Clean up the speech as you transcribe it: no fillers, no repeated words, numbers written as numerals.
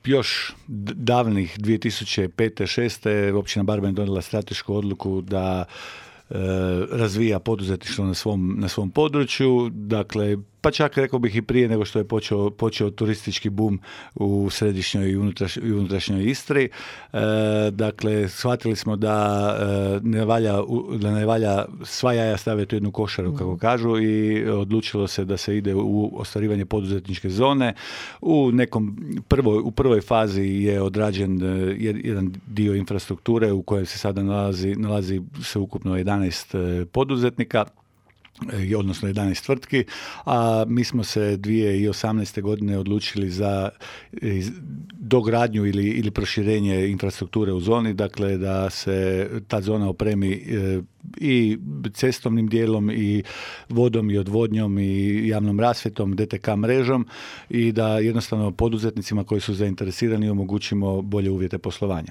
još davnih 2005-2006. općina Barben donijela stratešku odluku da razvija poduzetništvo na svom području, dakle, pa čak rekao bih i prije nego što je počeo turistički bum u središnjoj i unutrašnjoj Istri. Dakle, shvatili smo da ne valja sva jaja staviti u jednu košaru, kako kažu, i odlučilo se da se ide u ostvarivanje poduzetničke zone. U prvoj fazi je odrađen jedan dio infrastrukture u kojem se sada nalazi sveukupno 11 poduzetnika, odnosno 11 tvrtki, a mi smo se 2018. godine odlučili za dogradnju ili proširenje infrastrukture u zoni, dakle da se ta zona opremi i cestovnim dijelom i vodom i odvodnjom i javnom rasvjetom, DTK mrežom i da jednostavno poduzetnicima koji su zainteresirani omogućimo bolje uvjete poslovanja.